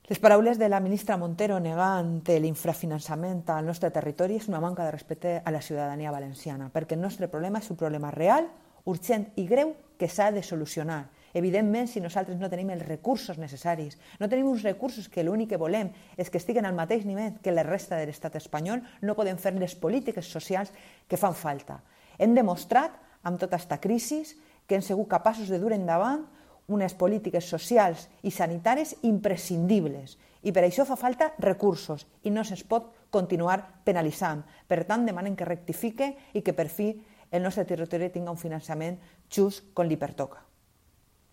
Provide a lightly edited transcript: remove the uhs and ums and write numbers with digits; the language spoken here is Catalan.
Les paraules de la ministra Montero negant l'infrafinançament al nostre territori és una manca de respecte a la ciutadania valenciana, perquè el nostre problema és un problema real, urgent i greu que s'ha de solucionar. Evidentment, si nosaltres no tenim els recursos necessaris, no tenim uns recursos que l'únic que volem és que estiguen al mateix nivell que la resta de l'estat espanyol, no podem fer les polítiques socials que fan falta. Hem demostrat, amb tota aquesta crisi, que hem sigut capaços de dur endavant unes polítiques socials i sanitàries imprescindibles. I per això fa falta recursos i no se'ls pot continuar penalitzant. Per tant, demanen que rectifique i que per fi el nostre territori tingui un finançament just com li pertoca.